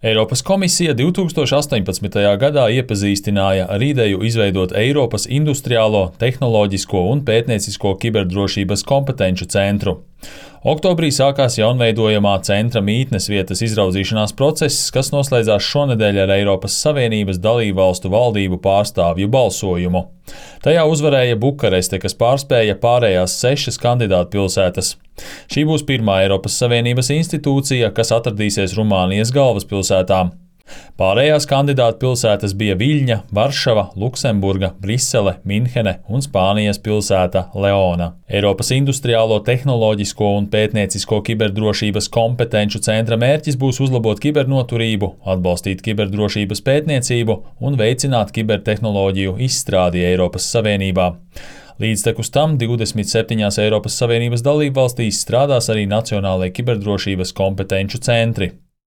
Eiropas komisija 2018. gadā iepazīstināja ar ideju izveidot Eiropas industriālo, tehnoloģisko un pētniecisko kiberdrošības kompetenču centru. Oktobrī sākās jaunveidojamā centra mītnes vietas izraudzīšanās process, kas noslēdzās šonedēļ ar Eiropas Savienības dalībvalstu valdību pārstāvju balsojumu. Tajā uzvarēja Bukareste, kas pārspēja pārējās 6 kandidātu pilsētas. Šī būs pirmā Eiropas Savienības institūcija, kas atradīsies Rumānijas galvaspilsētā. Pārējās kandidātu pilsētas bija Viļņa, Varšava, Luksemburga, Brisele, Minhene un Spānijas pilsēta Leona. Eiropas industriālo, tehnoloģisko un pētniecisko kiberdrošības kompetenču centra mērķis būs uzlabot kibernoturību, atbalstīt kiberdrošības pētniecību un veicināt kibertehnoloģiju izstrādi Eiropas Savienībā. Līdztekus tam 27 Eiropas Savienības dalībvalstīs strādās arī nacionālajie kiberdrošības kompetenču centri.